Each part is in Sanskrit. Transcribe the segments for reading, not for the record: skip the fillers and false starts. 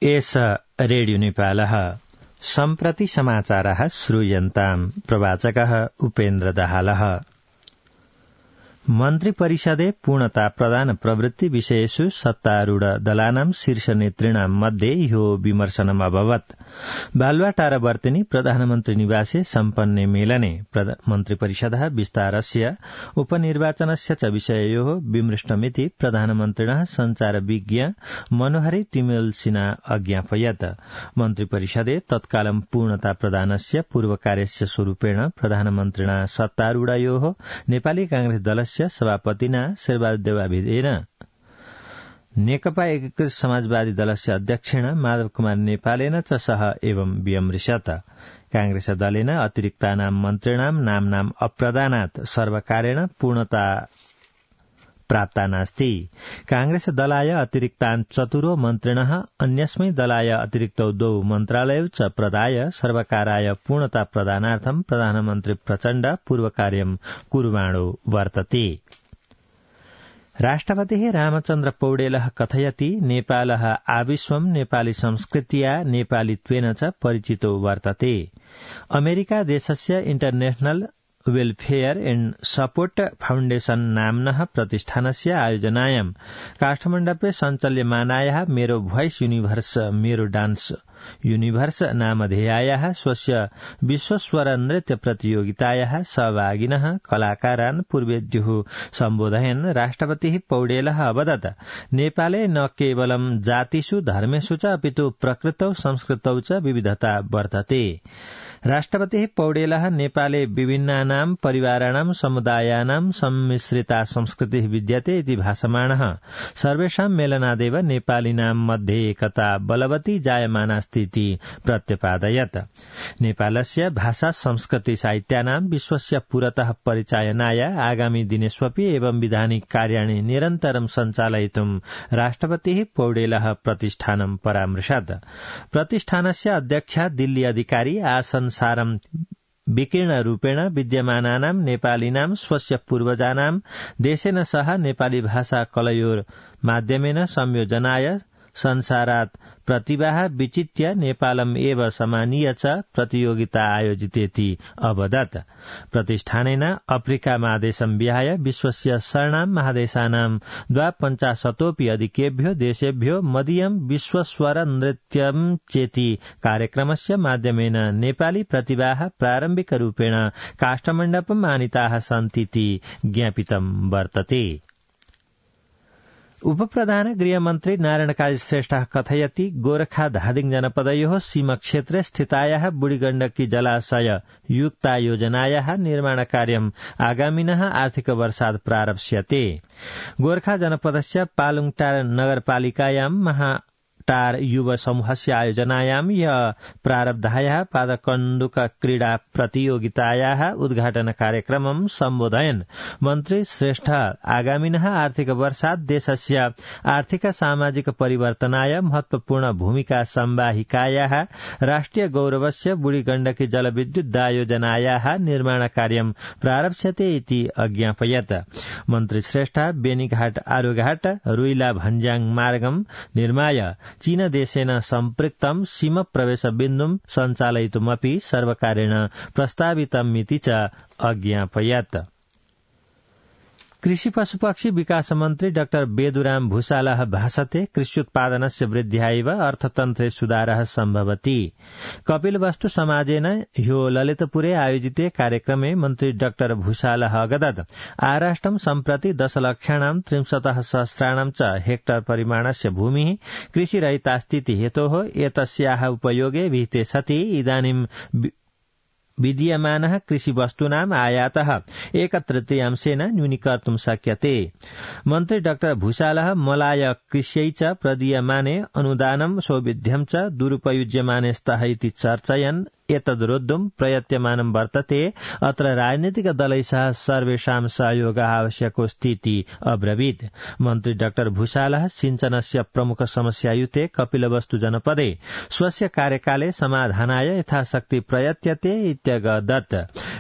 एष रेडियो नेपालः सम्प्रति समाचारः श्रूयन्ताम् प्रवाचकः उपेन्द्र दाहालः। मन्त्री परिषदे पूर्णता प्रदान प्रवृत्ति विषयेषु सत्तारूढ दलानां शीर्ष नेतृणां मध्ये ह्यो विमर्शनम् अभवत्। बालुवाटार वर्तिनी प्रधानमन्त्री निवासे सम्पन्ने मेलने मन्त्री परिषदः विस्तारस्य उपनिर्वाचनस्य च विषययोः विमृष्टमिति प्रधानमन्त्रिणः सञ्चारविज्ञ मनोहरी तिमेलसिना अज्ञापयत्। मन्त्री परिषदे तत्कालं पूर्णता प्रदानस्य पूर्वकार्यस्य स्वरूपेण प्रधानमन्त्रिणा सत्तारूढयोः नेपाली कांग्रेस दलस्य सभापतिना शेरबहादुर देउवाभिदेन नेकपा एकीकृत समाजवादी दलस्य अध्यक्षेण माधव कुमार नेपालेन च सह एवं विमृशत। कांग्रेस दलेन अतिरिक्तानां मन्त्रिणां नाम्नाम् अप्रदानात् सर्वकारेण पूर्णता प्राप्ता नास्ति। कांग्रेस दलाय अतिरिक्तान् चतुरो मन्त्रिणः अन्यस्मै दलाय अतिरिक्तौ द्वौ मन्त्रालयौ च प्रदाय सर्वकाराय पूर्णता प्रदानार्थं प्रधानमन्त्री प्रचण्ड पूर्वकार्यं कुर्वाणो वर्तते। राष्ट्रपतिः रामचन्द्र पौडेलः कथयति नेपालः आविश्वं नेपाली संस्कृत्या नेपालीत्वेन च परिचितो वर्तते। अमेरिका देशस्य international welfare and support foundation नाम्नः प्रतिष्ठानस्य आयोजनायां काठमाण्डुपे सञ्चाल्यमानायाः मेरो भोइस यूनिभर्स मेरो डान्स यूनिभर्स नामधेयायाः स्वस्य विश्वस्वर नृत्य प्रतियोगितायाः सहभागिनः कलाकारान् पूर्वेद्युः सम्बोधयन् राष्ट्रपतिः पौडेलः अवदत् नेपाले न केवलं जातिषु धर्मेषु च अपितु प्रकृतौ संस्कृतौ च विविधता वर्तते। राष्ट्रपतिः पौडेलः नेपाले विभिन्नानां परिवाराणां समुदायानां सम्मिश्रिता संस्कृतिः विद्यते इति भाषमाणः सर्वेषां मेलनादेव नेपालिनां मध्ये एकता बलवती जायमानास्ति इति प्रत्यपादयत्। नेपालस्य भाषा संस्कृति साहित्यानां विश्वस्य पुरतः परिचायनाय आगामी दिनेष्वपि एवं विधानिक कार्याणि निरन्तरं सञ्चालयितुं राष्ट्रपतिः पौडेलः प्रतिष्ठानं परामृशत्। प्रतिष्ठानस्य अध्यक्षा दिल्ली अधिकारी आसनसारं विकीर्णरूपेण विद्यमानानां नेपालिनां स्वस्य पूर्वजानां देशेन सह नेपाली भाषा कलयोर माध्यमेन संयोजनाय संसारात् प्रतिभाः विचित्य नेपालम् एव समानीय च प्रतियोगिता आयोजितेति अवदत्। प्रतिष्ठानेन अफ्रिका महादेशं विहाय विश्वस्य षण्णां महादेशानां 52 अधिकेभ्यो देशेभ्यो मदीयं विश्वस्वर नृत्यं चेति कार्यक्रमस्य माध्यमेन नेपाली प्रतिभाः प्रारम्भिकरूपेण काठमाण्डुपम् आनीताः सन्तीति ज्ञापितं वर्तते। उपप्रधान गृहमन्त्री नारायण काजी श्रेष्ठः कथयति गोरखा धादिङ जनपदयोः सीमाक्षेत्रे स्थितायाः बुढीगण्डकी जलाशय युक्ता योजनायाः निर्माणकार्यम् आगामिनः आर्थिक वर्षात् प्रारप्स्यते। गोरखा जनपदस्य पालुङटार नगरपालिकायां महाटार युव समूहस्य आयोजनायां प्रारब्धायाः पादकन्दुक क्रीडा प्रतियोगितायाः उद्घाटन कार्यक्रमं सम्बोधयन् मन्त्री श्रेष्ठ आगामिनः आर्थिक वर्षात् देशस्य आर्थिक सामाजिक परिवर्तनाय महत्वपूर्ण भूमिका सम्वाहिकायाः राष्ट्रिय गौरवस्य बुढीगण्डकी जलविद्युत दायोजनायाः निर्माण कार्यं प्रारप्स्यते इति अज्ञापयत्। मन्त्री श्रेष्ठ बेनीघाट आरुघाट रुइला भन्ज्याङ मार्गं निर्माय चीन देशेन सम्पृक्तं सीम प्रवेश बिन्दुं सञ्चालयितुमपि सर्वकारेण प्रस्तावितमिति च अज्ञापयत्। कृषि पशुपक्षी विकास मन्त्री डाक्टर बेदुराम भूषालः भाषते कृष्युत्पादनस्य वृद्ध्यायैव अर्थतन्त्रे सुधारः सम्भवति। कपिलवस्तु समाजेन ह्यो ललितपुरे आयोजिते कार्यक्रमे मन्त्री डाक्टर भूषालः अगदत् आराष्ट्रं सम्प्रति 10,63,000 च हेक्टर परिमाणस्य भूमिः कृषिरहितास्तीति हेतोः एतस्याः उपयोगे विहिते सति इदानीं विद्यमानः कृषिवस्तूनाम् आयातः 1/3 न्यूनीकर्तुं शक्यते। मन्त्री डाक्टर भूषालः मलाय कृष्यै च प्रदीयमाने अनुदानं सौविध्यं च दुरुपयुज्यमाने स्तः इति चर्चयन् एतद्रोद्धुं प्रयत्यमानं वर्तते अत्र राजनीतिक दलैः सर्वेषां सहयोग आवश्यकोऽस्तीति अब्रवीत्। मन्त्री डाक्टर भूषालः सिंचनस्य प्रमुख समस्यायुते कपिलवस्तु जनपदे स्वस्य कार्यकाले समाधानाय यथाशक्ति प्रयत्यते इत्यगदत्।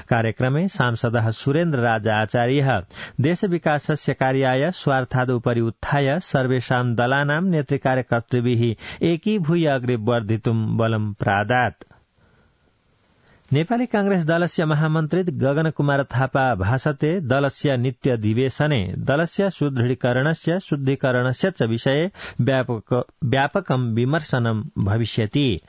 कार्यक्रमे सांसदः सुरेन्द्र राज आचार्यः देश विकासस्य कार्याय स्वार्थादुपरि उत्थाय सर्वेषां दलानां नेतृकार्यकर्तृभिः एकीभूय अग्रे वर्धितुं बलं प्रादात्। नेपाली कांग्रेस दलस्य महामन्त्री गगन कुमार थापा भाषते दलस्य नित्याधिवेशने दलस्य सुदृढीकरणस्य शुद्धिकरणस्य च विषये व्यापकं विमर्शनं भविष्यति।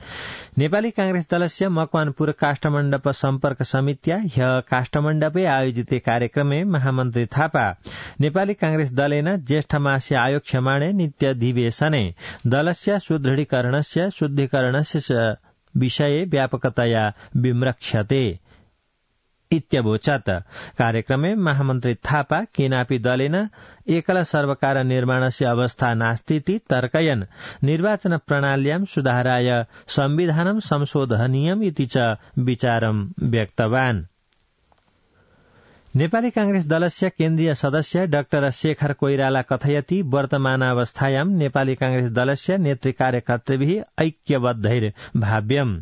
नेपाली कांग्रेस दलस्य मकवानपुर काष्ठमण्डप सम्पर्क समित्या ह्य काष्ठमण्डपे आयोजिते कार्यक्रमे महामन्त्री थापा नेपाली कांग्रेस दलेन ज्येष्ठमासे आयोक्ष्यमाणे नित्याधिवेशने दलस्य सुदृढीकरणस्य शुद्धिकरणस्य विषये व्यापकतया विमृक्षते इत्यवोचत्। कार्यक्रमे महामन्त्री थापा केनापि दलेन एकल सर्वकार निर्माणस्य अवस्था नास्तीति तर्कयन् निर्वाचन प्रणाल्यां सुधाराय संविधानं संशोधनीयम् इति च विचारं व्यक्तवान्। नेपाली कांग्रेस दलस्य केन्द्रीय सदस्य डाक्टर शेखर कोइराला कथयति वर्तमानावस्थायां नेपाली कांग्रेस दलस्य नेतृकार्यकर्तृभिः ऐक्यबद्धैर्भाव्यम्।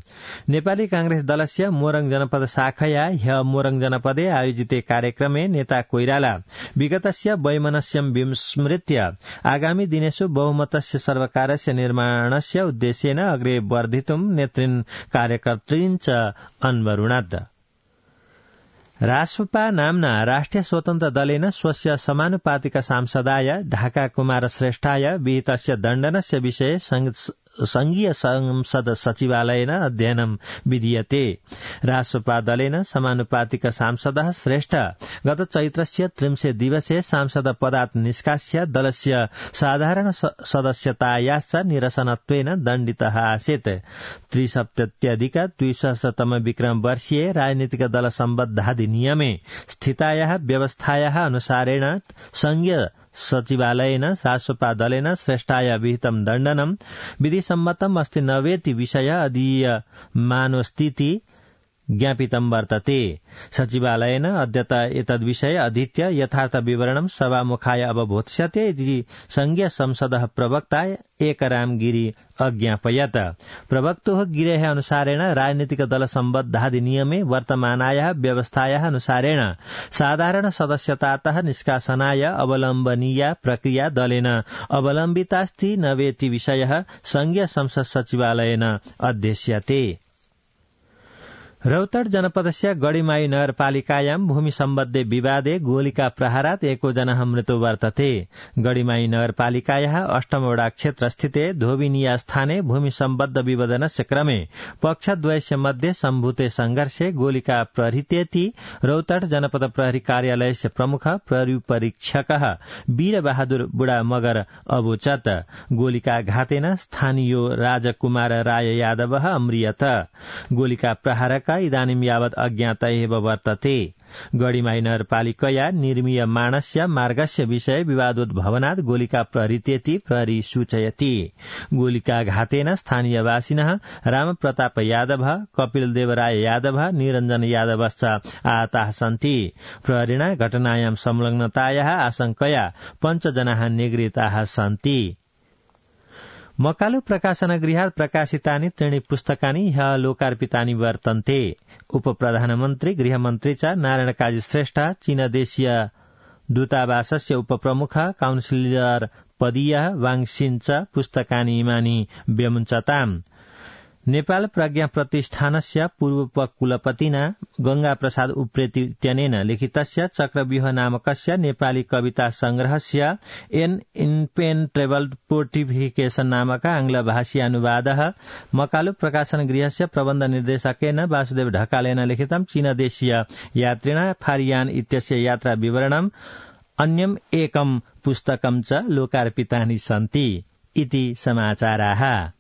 नेपाली कांग्रेस दलस्य मोरङ जनपद शाखया ह्य मोरङ जनपदे आयोजिते कार्यक्रमे नेता कोइराला विगतस्य वैमनस्यं विस्मृत्य आगामी दिनेषु बहुमतस्य सर्वकारस्य निर्माणस्य उद्देश्येन अग्रे वर्धितुं नेतृन् कार्यकर्तॄन् च अन्वरुणत्। रासपा नाम्ना राष्ट्रिय स्वतन्त्र दलेन स्वस्य समानुपातिक सांसदाय ढाका कुमार श्रेष्ठाय विहितस्य दण्डनस्य विषये संघीय संसद सचिवालयेन अध्ययनं विधीयते। रासपा दलेन समानुपातिक सांसदः श्रेष्ठ गत चैत्रस्य 30 दिवसे सांसद पदात् निष्कास्य दलस्य साधारण सदस्यतायाश्च निरसनत्वेन दण्डितः आसीत्। 370-200तम विक्रम वर्षीय राजनीतिक दल सम्बद्धाधिनियमे स्थितायाः व्यवस्थायाः अनुसारेण संघीय सचिवालयेन रासपा दलेन श्रेष्ठाय विहितं दण्डनं विधिसम्मतम् अस्ति नवेति विषय अधीयमानोऽस्तीति ज्ञापितं वर्तते। सचिवालयेन अद्यत एतद्विषये अधीत्य यथार्थ विवरणं सभामुखाय अवबोध्स्यते इति संघीय संसदः प्रवक्ता एकराम गिरी अज्ञापयत्। प्रवक्तुः गिरेः अनुसारेण राजनीतिक दल सम्बद्धाधिनियमे वर्तमानायाः व्यवस्थायाः अनुसारेण साधारण सदस्यतातः निष्कासनाय अवलम्बनीया प्रक्रिया दलेन अवलम्बितास्ति नवेति विषयः संघीय संसद सचिवालयेन अध्यस्यते। रौतड जनपदस्य गढीमाई नगरपालिकायां भूमि सम्बद्धे विवादे गोलिका प्रहारात् एको जनः मृत्यु वर्तते। गढीमाई नगरपालिकायाः 8 वडा क्षेत्रस्थिते धोबिनिया स्थाने भूमि सम्बद्ध विवादनस्य क्रमे पक्षद्वयस्य मध्ये सम्भूते संघर्षे गोलिका प्रहृतेति रौतड जनपद प्रहरी कार्यालयस्य प्रमुख प्रहरी परीक्षकः वीरबहादुर बुढा मगर अवोचत्। गोलिका घातेन स्थानीय राजकुमार राय यादवः अम्रियत। गोलिका प्रहारका इदानीं यावत् अज्ञात एव वर्तते। गढीमाई नगरपालिकया निर्मीय माणस्य मार्गस्य विषये विवादोद्भवनात् गोलिका प्रहृतेति प्रहरी सूचयति। गोलिका घातेन स्थानीयवासिनः रामप्रताप यादव, कपिल देवराय यादव, निरञ्जन यादवश्च आहताः सन्ति। प्रहरिणा घटनायां संलग्नतायाः आशंकया 5 जनाः निगृहीताः सन्ति। मकालु प्रकाशनगृहात् प्रकाशितानि 3 पुस्तकानि ह्यः लोकार्पितानि वर्तन्ते। उपप्रधानमन्त्री गृहमन्त्री च नारायण काजी श्रेष्ठ, चीनदेशीय दूतावासस्य उपप्रमुख काउन्सिलर पदीयः वाङसिन च पुस्तकानि इमानि व्यमुञ्चताम्। नेपाल प्रज्ञा प्रतिष्ठानस्य पूर्वोपकुलपतिना गंगा प्रसाद उप्रेती इत्यनेन लिखितस्य चक्रव्यूह नामकस्य नेपाली कविता संग्रहस्य एन इनपेन्ट्रेबल पोर्टिफिकेशन नामक आंग्लभाषी अनुवादः मकालु प्रकाशन गृहस्य प्रबन्ध निर्देशकेन वासुदेव ढकालेन लिखितं चीनदेशीय यात्रिणा फारियान इत्यस्य यात्रा विवरणम् अन्यम् एकं पुस्तकं च लोकार्पितानि सन्ति इति समाचाराः।